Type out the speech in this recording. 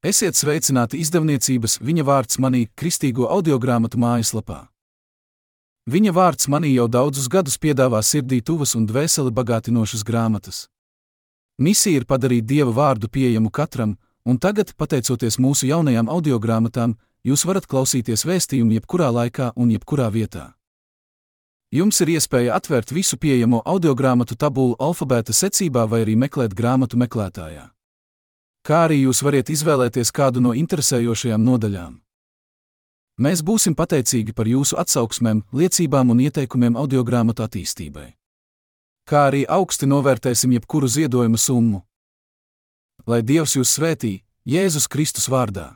Esiet sveicināti izdevniecības Viņa vārds manī kristīgo audiogrāmatu mājaslapā. Viņa vārds manī jau daudzus gadus piedāvā sirdī tuvas un dvēseli bagātinošas grāmatas. Misija ir padarīt Dieva vārdu pieejamu katram, un tagad, pateicoties mūsu jaunajām audiogrāmatām, jūs varat klausīties vēstījumu jebkurā laikā un jebkurā vietā. Jums ir iespēja atvērt visu pieejamo audiogrāmatu tabulu alfabēta secībā vai arī meklēt grāmatu meklētājā. Kā arī jūs varat izvēlēties kādu no interesējošajām nodaļām. Mēs būsim pateicīgi par jūsu atsauksmēm, liecībām un ieteikumiem audiogrāmatu attīstībai. Kā arī augsti novērtēsim jebkuru ziedojumu summu. Lai Dievs jūs svētī, Jēzus Kristus vārdā.